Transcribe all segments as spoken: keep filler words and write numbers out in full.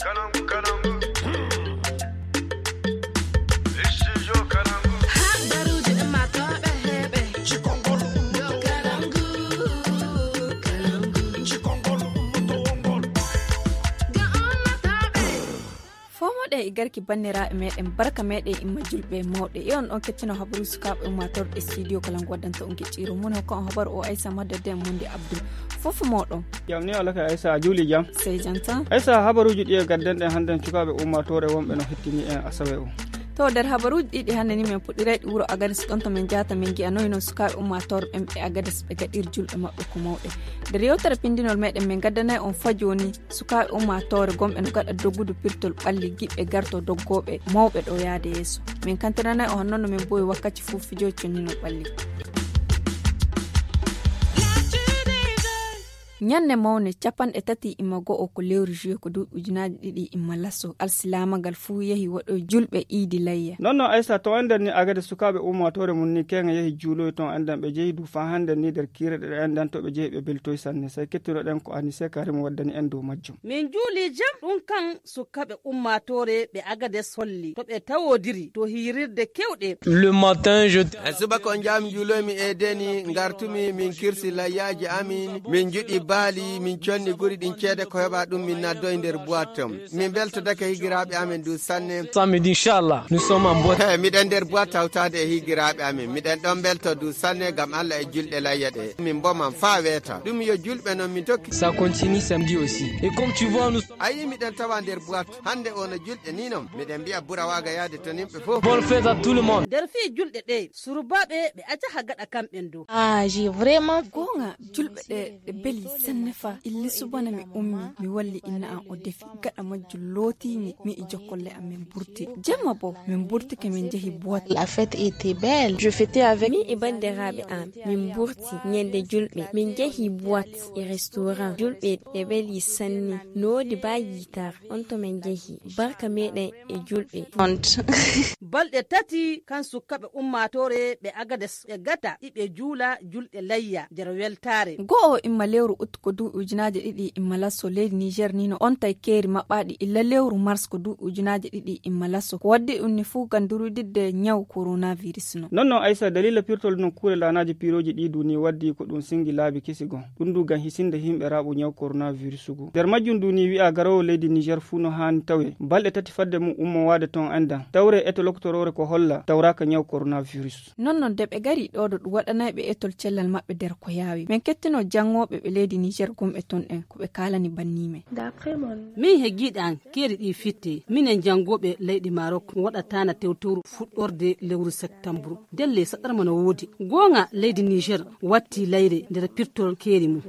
Habaruuji ummaatooɓe heɓe. Cikongol ummaatooɓe. Cikongol ummaatooɓe. Fomoɗe e garki banniraaɓe meɗen, barka meɗen imma julɓe e mawɗe. E on ɗon kettino habaru sukaaɓe ummaatooɓe studio kala ngo waddanta on kecciro. Mun hokka on habaru o Aissa Madda den Mundi Abdul. Fof moɗon. Jam ni wala ka Aissa a juuli jam. Sey jam tan. Aissa habaruuji ɗi e gadden ɗen hannden sukaaɓe ummaatoore wonɓe no hettini en asawe o. To nder habaruuji ɗiɗi hannde ni men puɗɗiray ɗi wuro Agadez ɗon to men jaata men gi'anoyno sukaaɓe ummaatoore ɓen ɓe Agadez ɓe gaɗir julɓe maɓɓe ko mawɗe. Nder yewtere pindinol meɗen men gaddanay on fa jooni sukaaɓe ummaatoore gomɓe no gaɗa doggudu pirtol ɓalli giɓɓe garto doggooɓe mawɓe ɗo yaade yeeso. Min kantiranay on honno no min bowi wakkati fof fijooji conninol ɓalli. Ñande mawne capanɗe tati imma go'o ko lewru juillet ko duuɓi ujunaaji ɗiɗi imma laso alsilaamagal fuu yehi waɗoy julɓe iidi layya. Non non Aissa to enden ni agade sukaaɓe ummaatoore mum ni keŋa yehi juuloy ton enden ɓe jehi du faa hande ni nder kiire ɗe enden to ɓe jehi ɓe beltoy sanne sey kettiroɗen ko Anise Karim waddani en dow majjum. Min juuli jam ɗum kan sukkaɓe ummaatoore ɓe Agades holli to ɓe tawodiri to hirirde kewɗe. Le matin je. E subaka on jaami juuloymi e deni ngartumi min kirsi layyaaji amin min juɗi baali min conni guri ɗin ceede ko heɓa ɗum min naddo e nder boite. Min beltodake higiraaɓe amin du sanne. Samedi inchallah nous sommes en boite. Miɗen nder boite hawtaade e higiraaɓe amin miɗen ɗon belto du sanne ngam Allah e julɗe layya ɗe min mboman faa weeta ɗum yo julɓe non min tokki. Ça continue samedi aussi et comme tu vois nous. A yii miɗen tawa nder boite hannde o no julɗe ni non miɗen mbiya bura waaga yaade to nimɓe fof. Bonne fête à tout le monde. Nder fii julɗe ɗe surubaaɓe ɓe ajaha gaɗa kamɓen dow. Ah j'ai vraiment. Goonga julɓe ɗe ɗe beli sanne fa illi subana mi ummi mi walli inna an o defi gaɗa majjum lootimi mi e jokkolle am min burti jemma bo min burtike min jehi boite. La fête était belle je fêtais avec. Min e banndiraaɓe am min burti ñande julɓe min jehi boite e restaurant julɓe ɓe ɓeli sanne noodi ba yitar on to min jehi barka meɗen e julɓe. Balɗe tati kan sukkaɓe ummaatoore ɓe Agades ɓe gata iɓe juula julɗe layya nder weltaare. Go'o imma lewru ut ko duuɓi ujunaaji ɗiɗi imma lasso leydi Niger ni no ontay keeri maɓɓaaɗi illa lewru mars ko duuɓi ujunaaji ɗiɗi imma lasso ko waddi ɗum ni fuu ngam durudidde ñaw coronavirus no. Non non Aissa dalila pirtol nokkuure laanaaji piirooji ɗi duni waddi ko ɗum singi laabi kesi gon ɗum du ngam hisinde himɓe raaɓu ñaw coronavirus gu nder majjum duni wi'a garoowo leydi Niger fuu no haani tawe balɗe tati fadde mum ummowaade ton enda tawre eto loktoroore ko holla tawraaka ñaw coronavirus. Non non de ɓe gari ɗo ɗo ɗum waɗanay ɓe etol cellal maɓɓe nder ko yaawi min kettino janngooɓe ɓe leydi Niger gomɓe ton en ko ɓe kaalani banni men. Min he giiɗan keeri ɗi fitte minen janngooɓe leydi Marok waɗataana tewtewru fuɗɗorde lewru septambru ndelle saɗarma no woodi goonga leydi Niger watti layre nder pirtol keeri mum.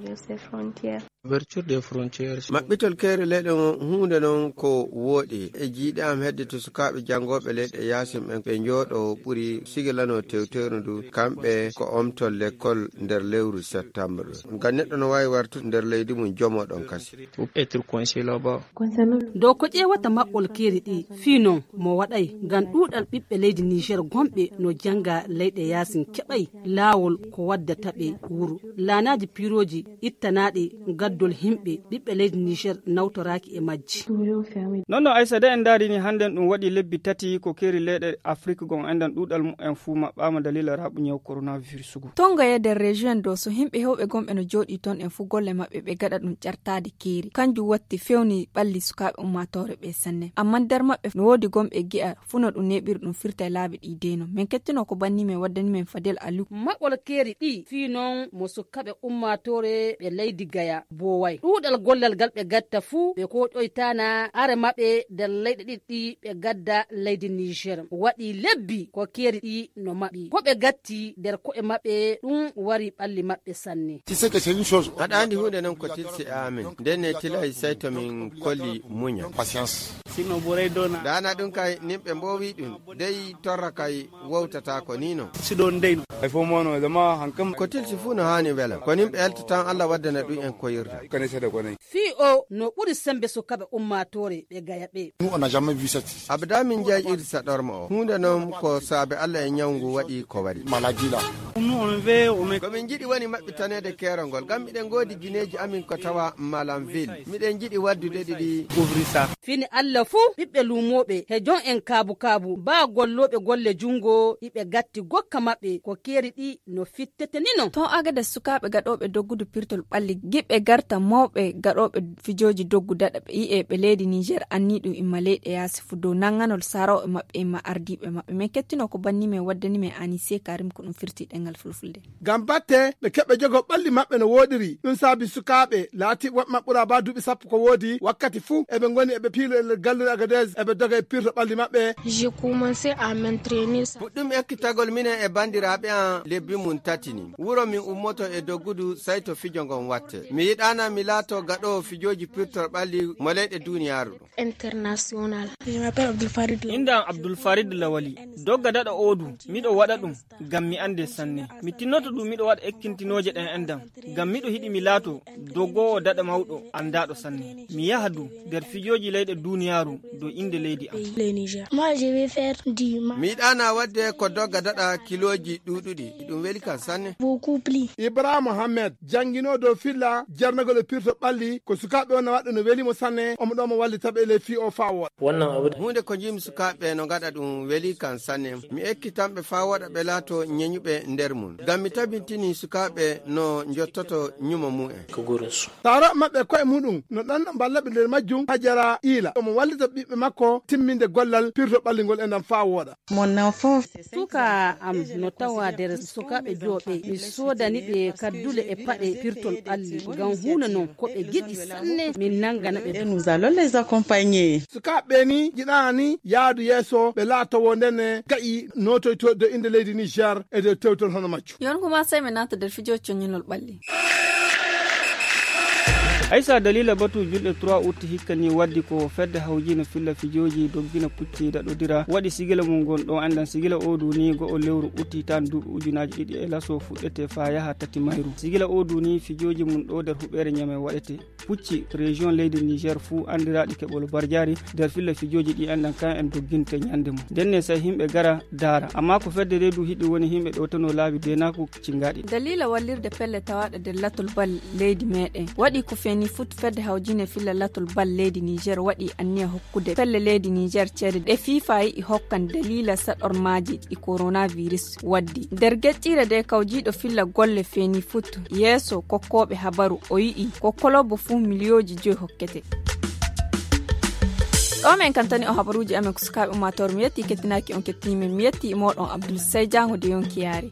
Ouverture des frontières. Maɓɓitol keeri leyɗe ngon huunde non ko wooɗi e jiiɗe am hedde to sukaaɓe janngooɓe leyɗe yaasin ɓen ɓe njooɗo ɓuri sigilano tewtewru ndu kamɓe ko omtol lekkol nder lewru septembre ngam neɗɗo no waawi wartude nder leydi mum jomo ɗon kasi. Être coincé là-bas. Dow ko ƴeewata maɓɓol keeri ɗi fii non mo waɗay ngam ɗuuɗal ɓiɓɓe leydi Niger gomɓe no jannga leyɗe yaasin keɓay laawol ko waddata ɓe wuro laanaaji piirooji ittanaaɗi gaddol himɓe ɓiɓɓe leydi Niger nawtoraaki e majji. Non non Aissa de en ndaarini hannden ɗum waɗi lebbi tati ko keeri leyɗe Afrik gon enɗan ɗuuɗal mumen fuu maɓɓaama dalila raaɓu ñaw coronavirus gu. Tonga e nder région do so himɓe hewɓe gomɓe no jooɗi ton en fuu golle maɓɓe ɓe gaɗa ɗum ƴartaade keeri kanjum watti fewni ɓalli sukaaɓe ummaatoore ɓe sanne amma nder maɓɓe no woodi gomɓe gi'a fuu no ɗum neeɓiri ɗum firta e laabi ɗi deeno min kettino ko banni men waddani men fadel aliou. Maɓɓol keeri ɗi fii non mo sukkaɓe ummaatoore ɓe leydi gaya booway ɗuuɗal gollal ngal ɓe gatta fuu ɓe koƴoytaana are maɓɓe nder leyɗe ɗiɗi ɗi ɓe gadda leydi niger waɗi lebbi ko keeri ɗi no maɓɓi ko ɓe gatti nder ko'e maɓɓe ɗum wari ɓalli maɓɓe sanne. Aɗa anndi huunde non ko tilsi e amen ndenne tilay sey to min kolli muñal. Daana ɗum kay nimɓe mboowi ɗum dey torra kay wowtata ko ni non. Siɗon dey non. Ay fof mo no zama hankam. Ko tilsi fuu no haani wela ko nimɓe elta tan Allah waddana ɗum en koyirde. Kane seeɗa ko nayi. Fii o no ɓuri semmbe sukaaɓe ummaatoore ɓe gaya ɓe. Abada min njayi irsa ɗorma o huunde noon ko saabe Allah e ñawngu waɗi ko waɗi. Malajila. Ko min njiɗi woni maɓɓitaneede keerol ngol ngam miɗen ngoodi gineeji amin ko tawa malanville miɗen njiɗi waddude ɗiɗi. Uvrisa. Fini Allah fuu ɓiɓɓe luumooɓe he jon en kaabu kaabu baa gollooɓe golle junngo iɓe gatti gokka maɓɓe ko keeri ɗi no fittete ni non. Ton agada sukaaɓe gaɗooɓe doggudu pirtol ɓalli giɓɓe garta mawɓe gaɗooɓe fijooji doggu daɗa ɓe yi'e ɓe leydi niger anniiɗum imma leyɗe yaasi fuu dow nannganol sarooɓe maɓɓe imma ardiiɓe maɓɓe men kettino ko banni men waddani men anise karim ko ɗum firti ɗengal fulfulde. Ngam batte ɓe keɓɓe jogo ɓalli maɓɓe no wooɗiri ɗum saabi sukaaɓe laati woɓɓe maɓɓura ba duuɓi sappo ko woodi wakkati fuu eɓe ngoni eɓe piilo e nder galluure agadez eɓe doga e pirto ɓalli maɓɓe. J'ai commencé à m'entraîner ça. Puɗɗum ekkitagol minen e banndiraaɓe an lebbi mum tati ni wuro min ummoto e doggudu sey to fijo ngon watte mi yiɗaana mi laato gaɗoowo fijooji pirtor ɓalli mo leyɗe duuniyaaru ɗum. International. Inda am abdul farid lawali dogga daɗa oodu miɗo waɗa ɗum ngam mi annde sanne mi tinnoto ɗum miɗo waɗa ekkintinooje ɗen enɗam ngam miɗo hiɗi mi laato doggoowo daɗa mawɗo anndaaɗo sanne mi yaha du nder fijooji leyɗe duuniyaaru dow innde leydi am. Mi yiɗaana waɗde ko dogga daɗa kilooji ɗuuɗuɗi ɗum weli kam sanne. Ibrahima mohammed janngino dow filla jarnagol e pirto ɓalli ko sukaaɓe wonna waɗde no weli mo sanne omo ɗo mo wallita ɓe e ley fii o faa wooɗa. Huunde ko njimi sukaaɓe no ngaɗa ɗum weli kam sanne mi ekkitan ɓe faa waɗa ɓe laato ñeñuɓe nder mum ngam mi tabintini sukaaɓe no njottoto ñumo mumen. Taaro maɓɓe koye muɗum no ɗanno mballa ɓe nder majjum hajara iila omo wallita ɓiɓɓe makko timminde gollal pirto ɓalli ngol e ndam faa wooɗa. Mon enfant. Suka am no tawa nder sukaaɓe jooɓe mi soodani ɓe kaddule e paɗe pirtol ɓalli ngam huuna non ko ɓe giɗi sanne min nanngana ɓe. Nous allons les accompagner. Sukaaɓe ɓe ni jiɗaani yaadu yeeso ɓe laatowo ndene ga'i notoyto do innde leydi niger e dow tewtol hono majjum. Yon kuma sey mi naata nder fijo coñinol ɓalli. Aysa dalila batu julɗe trois août hikka ni waddi ko fedde hawjina filla fijoji doggina pucci daɗodira waɗi sigila mum gon ɗo andan sigila o duni go'o lewru utti tan duuɓi ujunaji ɗiɗi e laso fuɗɗete fa yaha tati mayru sigila o duni fijoji mum ɗo nder huɓere ñame waɗete pucci région leydi niger fuu andiraɗi keɓol barjari nder filla fijoji ɗi andan kan en dogginte ñande mum ndenne say himɓe gara daara amma ko fedde reedu hiɗi woni himɓe ɗowtano laabi denaku cingaɗi. Dalila wallirde pelle tawaɗe nder latol bal leydi meɗen waɗi ko feni foot fedde hawjine filla latol bal leydi niger waɗi anniya hokkude pelle leydi niger ceede ɗe fifa yiɗi hokkan dalila saɗormaji ɗi coronavirus waddi nder geƴƴire de kawjiɗo filla golle feni foot yeeso kokkoɓe habaru o yiɗi ko kolobo fuu miliyoji joyi hokkete. Ɗo min kantani on habaruuji amen ko sukaaɓe ummaatoore mi yetti kettinaaki on kettini men mi yetti e mooɗon abdul sey jaango de yonki yaari.